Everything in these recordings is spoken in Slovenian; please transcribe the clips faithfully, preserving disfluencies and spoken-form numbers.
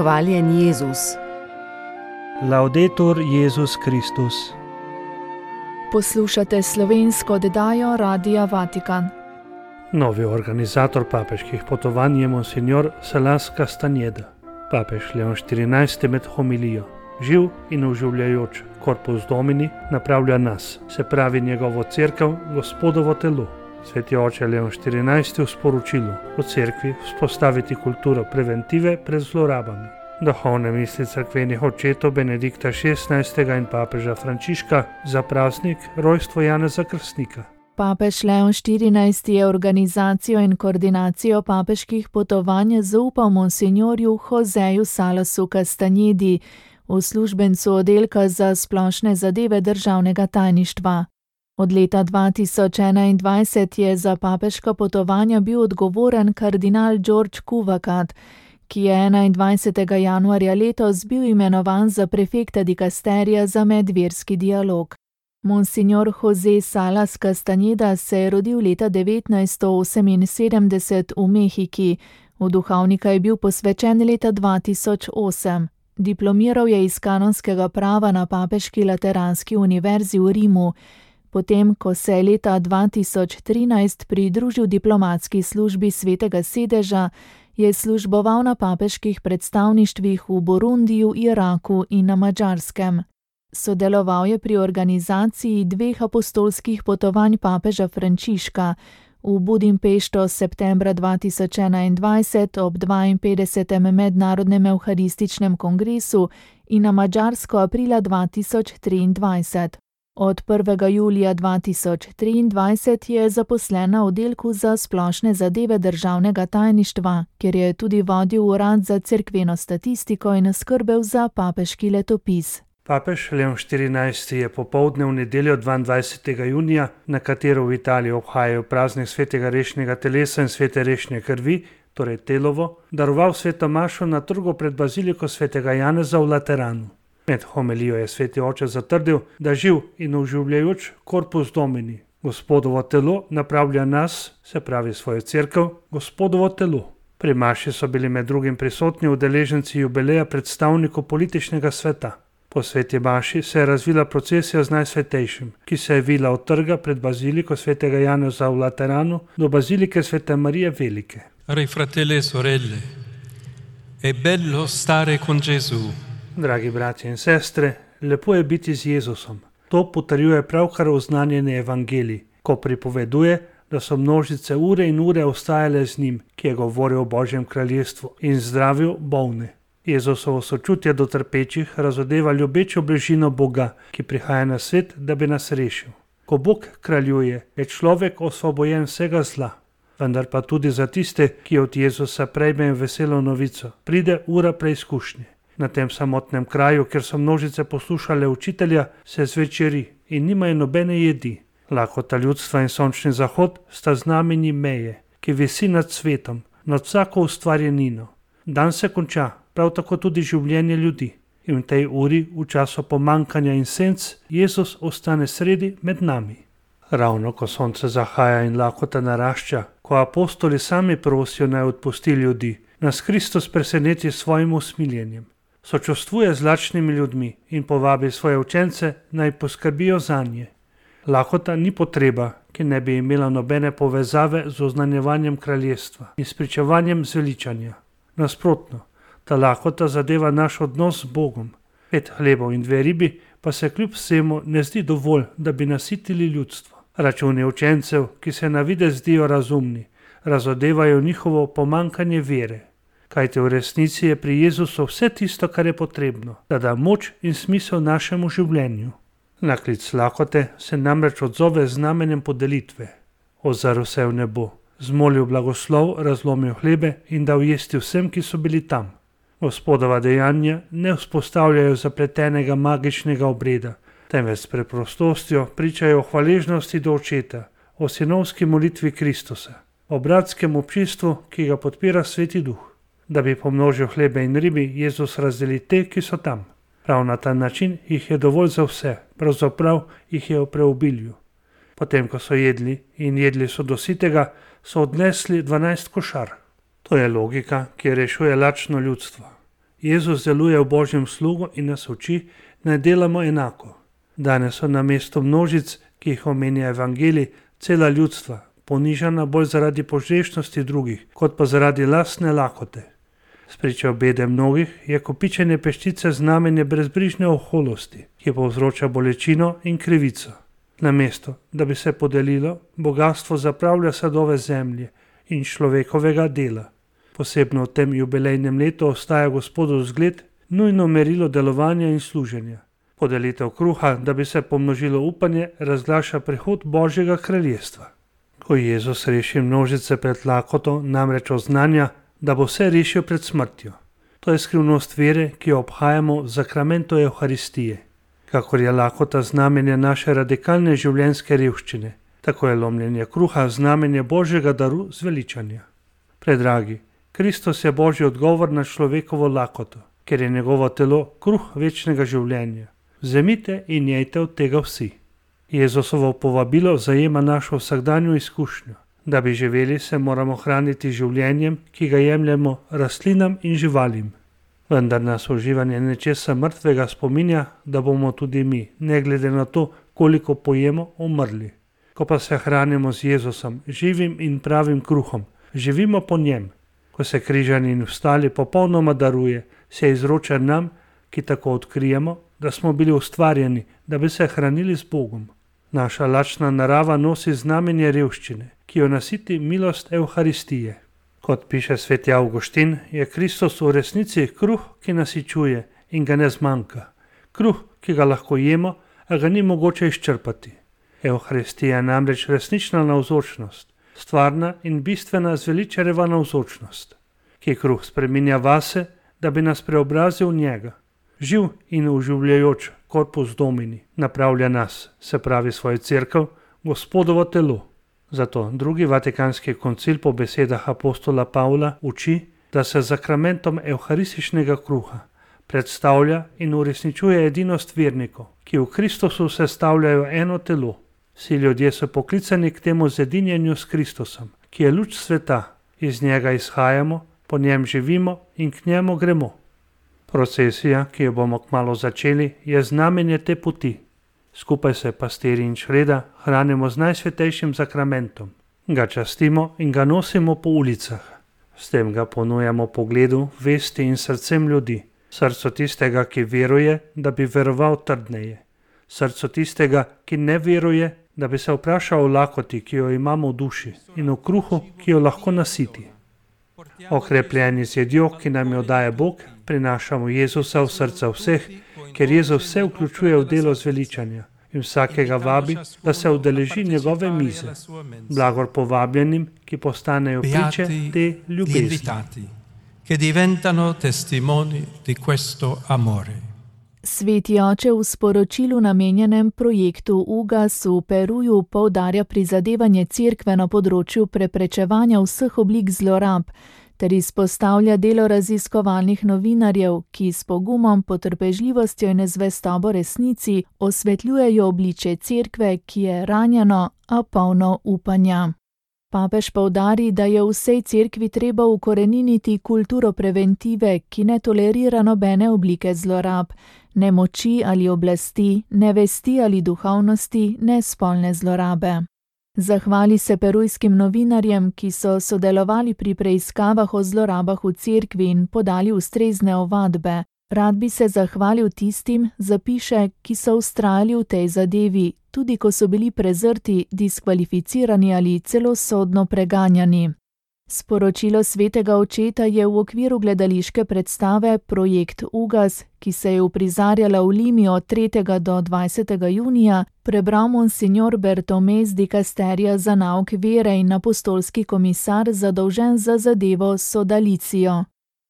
Hvaljen Jezus. Laudetur Jezus Kristus. Poslušate slovensko oddajo Radia Vatikan. Novi organizator papeških potovanj je monsignor Salas Castañeda. Papež Leon štirinajsti med homilijo, živ in oživljajoč Corpus Domini, napravlja nas, se pravi njegovo cerkev, Gospodovo telo. Sveti oče Leon štirinajsti v sporočilu o cerkvi vzpostaviti kulturo preventive pred zlorabami. Duhovne misli cerkvenih očetov Benedikta šestnajstega in papeža Frančiška za praznik rojstvo Janeza Krstnika. Papež Leon štirinajsti je organizacijo in koordinacijo papeških potovanj zaupal monsignorju Joseju Salasu Castañedi, uslužbencu oddelka za splošne zadeve državnega tajništva. Od leta dva tisoč enaindvajset je za papeška potovanja bil odgovoren kardinal George Kuvakat, ki je enaindvajsetega januarja letos bil imenovan za prefekta dikasterija za medverski dialog. Monsignor Jose Salas Castañeda se je rodil leta devetnajststo oseminsedemdeset v Mehiki, v duhovnika je bil posvečen leta dva tisoč osem. Diplomiral je iz kanonskega prava na Papeški lateranski univerzi v Rimu, potem ko se je leta dva tisoč trinajst pridružil diplomatski službi Svetega sedeža, je služboval na papeških predstavništvih v Burundiju, Iraku in na Madžarskem. Sodeloval je pri organizaciji dveh apostolskih potovanj papeža Frančiška, v Budimpešto septembra dva tisoč enaindvajset ob dvainpetdesetem mednarodnem evharističnem kongresu in na Madžarsko aprila dva tisoč triindvajset. Od prvega julija dva tisoč triindvajset je zaposlen na oddelku za splošne zadeve državnega tajništva, kjer je tudi vodil urad za cerkveno statistiko in skrbel za papeški letopis. Papež Leon štirinajsti je popoldne v nedeljo dvaindvajsetega junija, na katero v Italiji obhajajo praznik svetega rešnjega telesa in svete rešnje krvi, torej telovo, daroval sveto mašo na trgu pred baziliko svetega Janeza v Lateranu. Med homilijo je sveti oče zatrdil, da živ in oživljajoč Corpus Domini, Gospodovo telo, napravlja nas, se pravi svojo cerkev, Gospodovo telo. Pri maši so bili med drugim prisotni udeleženci jubileja predstavnikov političnega sveta. Po sveti maši se je razvila procesija z Najsvetejšim, ki se je vila od trga pred baziliko svetega Janeza v Lateranu do bazilike svete Marije Velike. Cari fratelli e sorelle, è bello stare con Gesù. Dragi bratje in sestre, lepo je biti z Jezusom. To potrjuje pravkar oznanjeni evangelij, ko pripoveduje, da so množice ure in ure ostajale z njim, ki je govoril o Božjem kraljestvu in zdravil bolne. Jezusovo sočutje do trpečih razodeva ljubečo bližino Boga, ki prihaja na svet, da bi nas rešil. Ko Bog kraljuje, je človek osvobojen vsega zla, vendar pa tudi za tiste, ki od Jezusa prejmejo veselo novico, pride ura preizkušnje. Na tem samotnem kraju, kjer so množice poslušale učitelja, se zvečeri in nimajo nobene jedi. Lakota ljudstva in sončni zahod sta znamenji meje, ki visi nad svetom, nad vsako ustvarjenino. Dan se konča, prav tako tudi življenje ljudi. In v tej uri, v času pomankanja in senc, Jezus ostane sredi med nami. Ravno ko sonce zahaja in lakota narašča, ko apostoli sami prosijo naj odpusti ljudi, nas Kristus preseneti s svojim usmiljenjem. Sočustvuje z lačnimi ljudmi in povabi svoje učence naj poskrbijo zanje. Lakota ni potreba, ki ne bi imela nobene povezave z oznanjevanjem kraljestva in spričevanjem zveličanja. Nasprotno, ta lakota zadeva naš odnos z Bogom. Pet hlebov in dve ribi pa se kljub vsemu ne zdi dovolj, da bi nasitili ljudstvo. Računi učencev, ki se na videz zdijo razumni, razodevajo njihovo pomankanje vere. Kajte v resnici je pri Jezusu vse tisto, kar je potrebno, da da moč in smisel našemu življenju. Na klic lakote se namreč odzove z znamenjem podelitve. Ozrl se v nebo, zmolil blagoslov, razlomil hlebe in dal jesti vsem, ki so bili tam. Gospodova dejanja ne vzpostavljajo zapletenega magičnega obreda, temveč s preprostostjo pričajo o hvaležnosti do očeta, o sinovski molitvi Kristusa, o bratskem občinstvu, ki ga podpira Sveti Duh. Da bi pomnožil hlebe in ribi, Jezus razdeli te, ki so tam. Prav na ta način jih je dovolj za vse, pravzaprav jih je v preobilju. Potem, ko so jedli in jedli so do sitega, so odnesli dvanajst košar. To je logika, ki rešuje lačno ljudstvo. Jezus deluje v Božjem slugu in nas uči, naj delamo enako. Danes so na mesto množic, ki jih omenja evangelij, cela ljudstva, ponižana bolj zaradi požrešnosti drugih, kot pa zaradi lastne lakote. Spričo bede mnogih je kopičenje peščice znamenje brezbrižne oholosti, ki povzroča bolečino in krivico. Namesto, da bi se podelilo, bogatstvo zapravlja sadove zemlje in človekovega dela. Posebno v tem jubilejnem letu ostaja Gospodov zgled, nujno merilo delovanja in služenja. Podelitev kruha, da bi se pomnožilo upanje, razglaša prihod Božjega kraljestva. Ko Jezus reši množice pred lakoto, namreč oznanja, da bo vse rešil pred smrtjo. To je skrivnost vere, ki jo obhajamo v zakramentu Evharistije. Kakor je lakota znamenje naše radikalne življenjske revščine, tako je lomljenje kruha znamenje Božjega daru zveličanja. Predragi, Kristus je Božji odgovor na človekovo lakoto, ker je njegovo telo kruh večnega življenja. Vzemite in jejte od tega vsi. Jezusovo povabilo zajema našo vsakdanjo izkušnjo. Da bi živeli, se moramo hraniti življenjem, ki ga jemljemo rastlinam in živalim. Vendar nas uživanje nečesa mrtvega spominja, da bomo tudi mi, ne glede na to, koliko pojemo, umrli. Ko pa se hranimo z Jezusom, živim in pravim kruhom, živimo po njem. Ko se križani in vstali popolnoma daruje, se izroča nam, ki tako odkrijemo, da smo bili ustvarjeni, da bi se hranili z Bogom. Naša lačna narava nosi znamenje revščine, ki jo nasiti milost Evharistije. Kot piše sveti Avguštin, je Kristus v resnici kruh, ki nasičuje in ga ne zmanjka. Kruh, ki ga lahko jemo, a ga ni mogoče izčrpati. Evharistija je namreč resnična navzočnost, stvarna in bistvena zveličarjeva navzočnost, ki kruh spreminja vase, da bi nas preobrazil v njega. Živ in oživljajoč korpus domini napravlja nas, se pravi svojo cerkev, Gospodovo telo. Zato drugi vatikanski koncil po besedah apostola Pavla uči, da se z zakramentom evharističnega kruha predstavlja in uresničuje edinost vernikov, ki v Kristusu sestavljajo eno telo. Vsi ljudje so poklicani k temu zedinjenju s Kristusom, ki je luč sveta, iz njega izhajamo, po njem živimo in k njemu gremo. Procesija, ki jo bomo kmalu začeli, je znamenje te poti. Skupaj se pastirji in čreda hranimo z najsvetejšim zakramentom. Ga častimo in ga nosimo po ulicah. S tem ga ponujamo pogledu, vesti in srcem ljudi. Srcu tistega, ki veruje, da bi veroval trdneje. Srcu tistega, ki ne veruje, da bi se vprašal o lakoti, ki jo imamo v duši, in o kruhu, ki jo lahko nasiti. Okrepljeni z jedjo, ki nam jo daje Bog, prinašamo Jezusa v srca vseh, ker Jezus vse vključuje v delo zveličanja in vsakega vabi, da se udeleži njegove mize. Blagor povabljenim, ki postanejo priče te ljubezni. Che diventano testimoni di questo amore. Sveti oče v sporočilu namenjenem projektu U G A S v Peruju poudarja prizadevanje cerkve na področju preprečevanja vseh oblik zlorab ter izpostavlja delo raziskovalnih novinarjev, ki s pogumom, potrpežljivostjo in zvestobo resnici osvetljujejo obličje cerkve, ki je ranjeno, a polno upanja. Papež poudari, da je v vsej cerkvi treba ukoreniniti kulturo preventive, ki ne tolerira nobene oblike zlorab, ne moči ali oblasti, ne vesti ali duhovnosti, ne spolne zlorabe. Zahvali se perujskim novinarjem, ki so sodelovali pri preiskavah o zlorabah v cerkvi in podali ustrezne ovadbe. Rad bi se zahvalil tistim, zapiše, ki so vztrajali v tej zadevi, tudi ko so bili prezrti, diskvalificirani ali celo sodno preganjani. Sporočilo svetega očeta je v okviru gledališke predstave Projekt U G A S, ki se je uprizarjala v Limi od tretjega do dvajsetega junija, prebral monsignor Bertomez di Casteria za nauk vere in apostolski komisar zadolžen za zadevo Sodalicijo.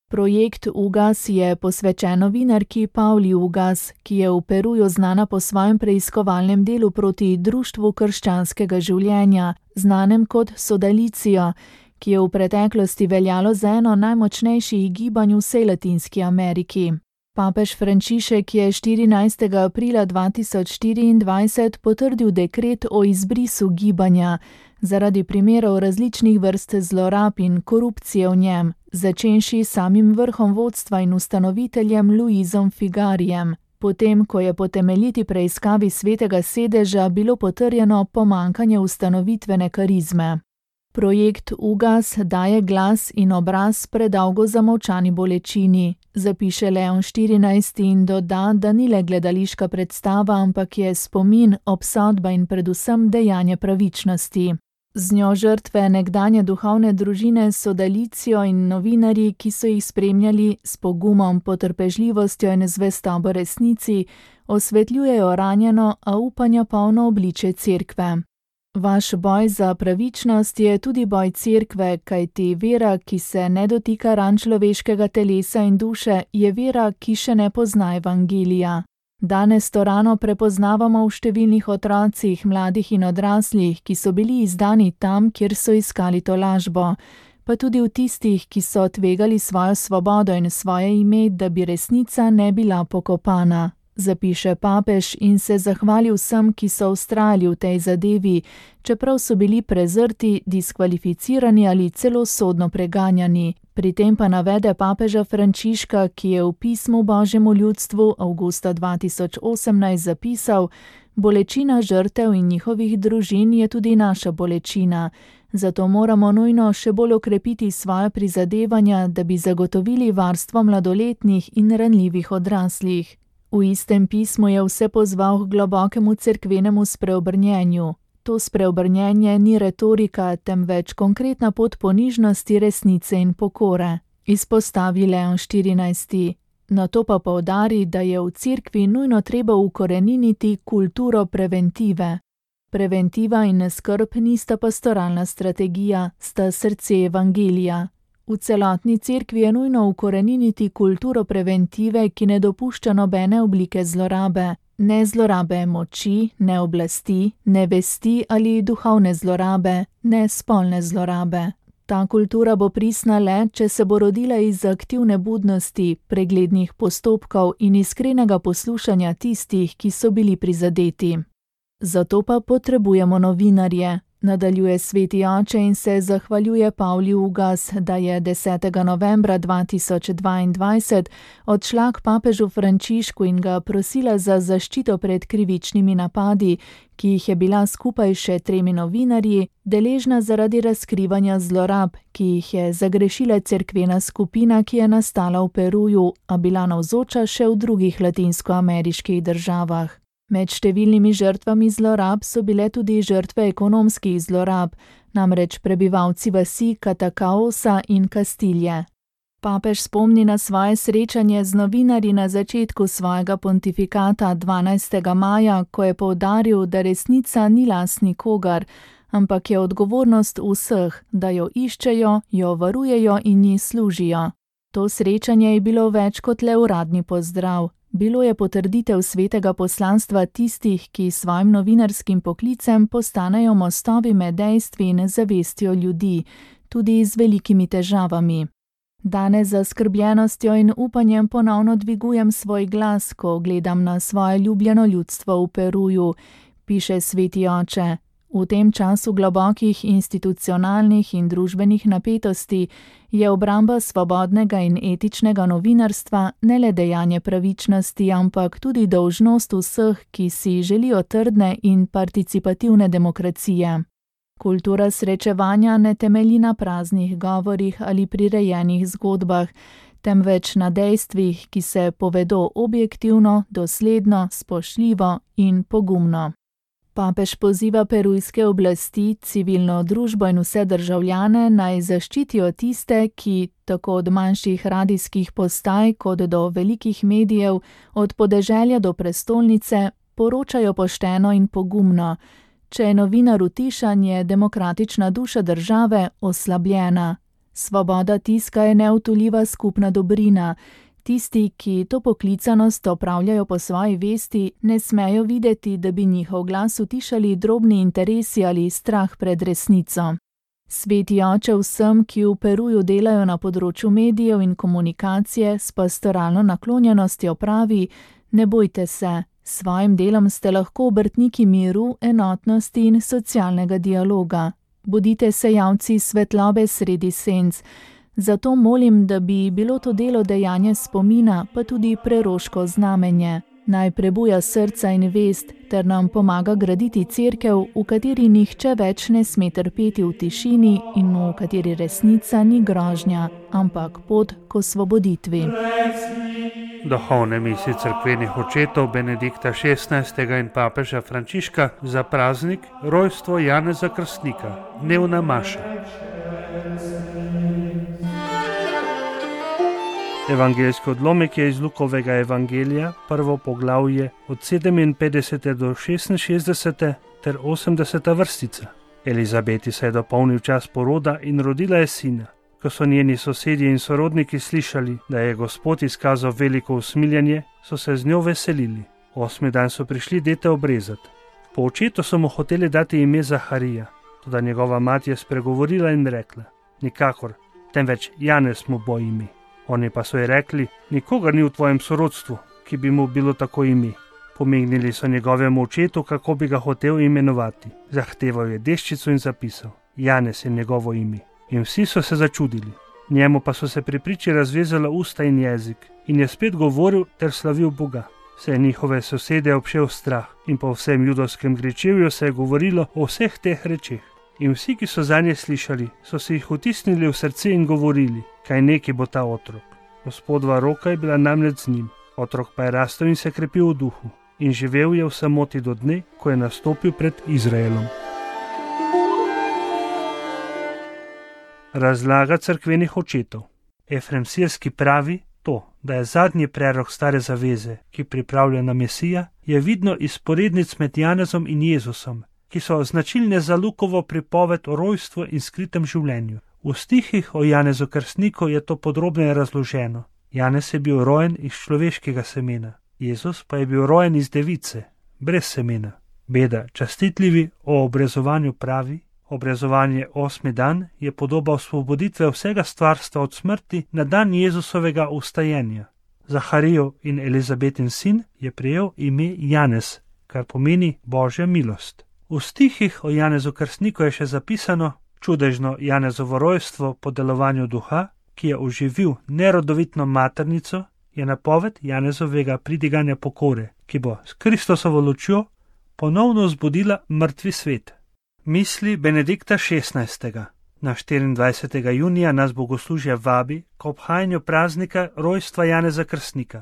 Projekt U G A S je posvečen novinarki Pauli U G A S, ki je v Peruju znana po svojem preiskovalnem delu proti Društvu krščanskega življenja, znanem kot Sodalicijo, ki je v preteklosti veljalo za eno najmočnejših gibanj v vsej Latinski Ameriki. Papež Frančišek je štirinajstega aprila dva tisoč štiriindvajset potrdil dekret o izbrisu gibanja zaradi primerov različnih vrst zlorab in korupcije v njem, začenši samim vrhom vodstva in ustanoviteljem Luizom Figarijem, potem ko je po temeljiti preiskavi svetega sedeža bilo potrjeno pomanjkanje ustanovitvene karizme. Projekt Ugas daje glas in obraz predolgo zamolčani bolečini, zapiše Leon štirinajsti in doda, da ni le gledališka predstava, ampak je spomin, obsodba in predvsem dejanje pravičnosti. Z njo žrtve nekdanje duhovne družine Sodalicijo in novinarji, ki so jih spremljali s pogumom, potrpežljivostjo in zvestobo resnici, osvetljujejo ranjeno, a upanja polno obličje cerkve. Vaš boj za pravičnost je tudi boj cerkve, kajti vera, ki se ne dotika ran človeškega telesa in duše, je vera, ki še ne pozna evangelija. Danes to rano prepoznavamo v številnih otrocih, mladih in odraslih, ki so bili izdani tam, kjer so iskali to lažbo, pa tudi v tistih, ki so tvegali svojo svobodo in svoje ime, da bi resnica ne bila pokopana. Zapiše papež in se zahvali vsem, ki so vztrajali v tej zadevi, čeprav so bili prezrti, diskvalificirani ali celo sodno preganjani. Pri tem pa navede papeža Frančiška, ki je v pismu Božjemu ljudstvu avgusta dva tisoč osemnajst zapisal: bolečina žrtev in njihovih družin je tudi naša bolečina, zato moramo nujno še bolj okrepiti svoja prizadevanja, da bi zagotovili varstvo mladoletnih in ranljivih odraslih. V istem pismu je vse pozval k globokemu cerkvenemu spreobrnjenju. To spreobrnjenje ni retorika, temveč konkretna pot ponižnosti, resnice in pokore, izpostavi Leon štirinajsti. Nato pa poudari, da je v cerkvi nujno treba ukoreniniti kulturo preventive. Preventiva in skrb nista pastoralna strategija, sta srce evangelija. V celotni cerkvi je nujno ukoreniniti kulturo preventive, ki ne dopušča nobene oblike zlorabe. Ne zlorabe moči, ne oblasti, ne vesti ali duhovne zlorabe, ne spolne zlorabe. Ta kultura bo pristna le, če se bo rodila iz aktivne budnosti, preglednih postopkov in iskrenega poslušanja tistih, ki so bili prizadeti. Zato pa potrebujemo novinarje. Nadaljuje sveti oče in se zahvaljuje Pavli Ugas, da je desetega novembra dva tisoč dvaindvajset odšla k papežu Frančišku in ga prosila za zaščito pred krivičnimi napadi, ki jih je bila skupaj še tremi novinarji deležna zaradi razkrivanja zlorab, ki jih je zagrešila cerkvena skupina, ki je nastala v Peruju, a bila navzoča še v drugih latinskoameriških državah. Med številnimi žrtvami zlorab so bile tudi žrtve ekonomskih zlorab, namreč prebivalci vasi Catacaosa in Kastilje. Papež spomni na svoje srečanje z novinarji na začetku svojega pontifikata dvanajstega maja, ko je poudaril, da resnica ni last nikogar, ampak je odgovornost vseh, da jo iščejo, jo varujejo in ji služijo. To srečanje je bilo več kot le uradni pozdrav. Bilo je potrditev svetega poslanstva tistih, ki svojim novinarskim poklicem postanejo mostovi med dejstvi in zavestjo ljudi, tudi z velikimi težavami. Danes z zaskrbljenostjo in upanjem ponovno dvigujem svoj glas, ko gledam na svoje ljubljeno ljudstvo v Peruju, piše sveti oče. V tem času globokih institucionalnih in družbenih napetosti je obramba svobodnega in etičnega novinarstva ne le dejanje pravičnosti, ampak tudi dolžnost vseh, ki si želijo trdne in participativne demokracije. Kultura srečevanja ne temelji na praznih govorih ali prirejenih zgodbah, temveč na dejstvih, ki se povedo objektivno, dosledno, spoštljivo in pogumno. Papež poziva perujske oblasti, civilno družbo in vse državljane naj zaščitijo tiste, ki, tako od manjših radijskih postaj kot do velikih medijev, od podeželja do prestolnice, poročajo pošteno in pogumno. Če je novinar utišan, je demokratična duša države oslabljena. Svoboda tiska je neodtujljiva skupna dobrina. Tisti, ki to poklicanost opravljajo po svoji vesti, ne smejo videti, da bi njihov glas utišali drobni interesi ali strah pred resnico. Sveti oče vsem, ki v Peruju delajo na področju medijev in komunikacije s pastoralno naklonjenostjo pravi: ne bojte se, s svojim delom ste lahko obrtniki miru, enotnosti in socialnega dialoga. Bodite sejavci svetlobe sredi senc. Zato molim, da bi bilo to delo dejanje spomina, pa tudi preroško znamenje. Naj prebuja srca in vest, ter nam pomaga graditi cerkev, v kateri nihče več ne sme trpeti v tišini in v kateri resnica ni grožnja, ampak pot k osvoboditvi. Duhovne misli cerkvenih očetov Benedikta šestnajstega in papeža Frančiška za praznik rojstvo Janeza Krstnika, dnevna maša. Evangeljski odlomek je iz Lukovega evangelija, prvo poglavje od sedeminpetdesete do šestinšestdesete ter osemdeseta vrstica. Elizabeti se je dopolnil čas poroda in rodila je sina. Ko so njeni sosedje in sorodniki slišali, da je Gospod izkazal veliko usmiljenje, so se z njo veselili. Osmi dan so prišli dete obrezati. Po očetu so mu hoteli dati ime Zaharija, toda njegova mati je spregovorila in rekla: nikakor, temveč Janez mu bo ime. Oni pa so ji rekli: nikogar ni v tvojem sorodstvu, ki bi mu bilo tako ime. Pomignili so njegovemu očetu, kako bi ga hotel imenovati. Zahteval je deščico in zapisal: Janez je njegovo ime. In vsi so se začudili. Njemu pa so se pri priči razvezala usta in jezik in je spet govoril ter slavil Boga. Vse njihove sosede obšel strah in po vsem judovskem gričevju se je govorilo o vseh teh rečeh. In vsi, ki so zanje slišali, so si jih vtisnili v srce in govorili, kaj neki bo ta otrok. Gospodova roka je bila namreč z njim, otrok pa je rastel in se krepil v duhu in živel je v samoti do dne, ko je nastopil pred Izraelom. Razlaga cerkvenih očetov. Efrem Sirski pravi, to, da je zadnji prerok stare zaveze, ki pripravlja na Mesija, je vidno iz sporednic med Janezom in Jezusom, ki so značilne za Lukovo pripoved o rojstvu in skritem življenju. V stihih o Janezu Krstniku je to podrobneje razloženo. Janez je bil rojen iz človeškega semena, Jezus pa je bil rojen iz device, brez semena. Beda častitljivi o obrezovanju pravi: obrezovanje osmi dan je podoba osvoboditve vsega stvarstva od smrti na dan Jezusovega vstajenja. Zaharijev in Elizabetin sin je prejel ime Janez, kar pomeni Božja milost. V stihih o Janezu Krstniku je še zapisano: čudežno Janezovo rojstvo po delovanju duha, ki je oživil nerodovitno maternico, je napoved Janezovega pridiganja pokore, ki bo s Kristosovo lučjo ponovno zbudila mrtvi svet. Misli Benedikta šestnajstega. Na štiriindvajsetega junija nas bogoslužje vabi k obhajanju praznika rojstva Janeza Krstnika.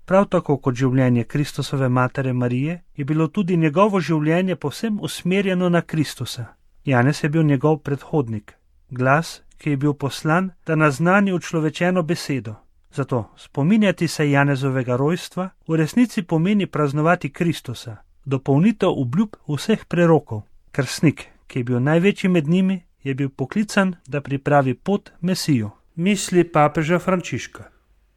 Prav tako kot življenje Kristusove matere Marije je bilo tudi njegovo življenje povsem usmerjeno na Kristusa. Janez je bil njegov predhodnik, glas, ki je bil poslan, da naznani učlovečeno besedo. Zato spominjati se Janezovega rojstva v resnici pomeni praznovati Kristusa, dopolnitev obljub vseh prerokov. Krstnik, ki je bil največji med njimi, je bil poklican, da pripravi pot Mesiju. Misli papeža Frančiška.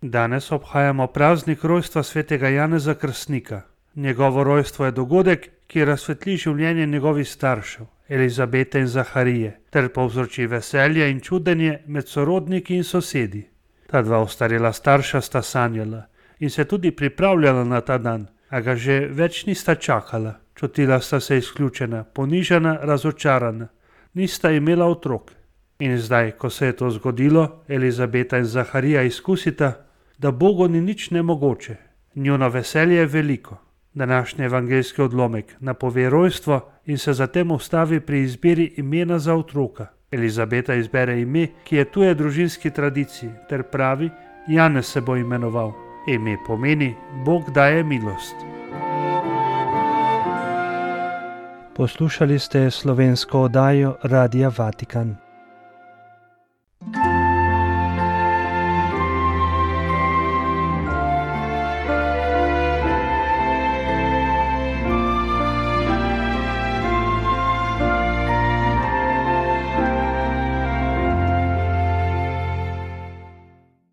Danes obhajamo praznik rojstva svetega Janeza Krstnika. Njegovo rojstvo je dogodek, ki razsvetli življenje njegovih staršev, Elizabete in Zaharije, ter povzroči veselje in čudenje med sorodniki in sosedi. Ta dva ostarela starša sta sanjala in se tudi pripravljala na ta dan, a ga že več nista čakala. Čutila sta se izključena, ponižana, razočarana, nista imela otrok. In zdaj, ko se je to zgodilo, Elizabeta in Zaharija izkusita, da Bogu ni nič nemogoče. Njuno veselje je veliko. Današnji evangeljski odlomek napove rojstvo in se zatem ustavi pri izbiri imena za otroka. Elizabeta izbere ime, ki je tuje družinski tradiciji, ter pravi: Janez se bo imenoval. Ime pomeni: Bog daje milost. Poslušali ste slovensko oddajo Radia Vatikan.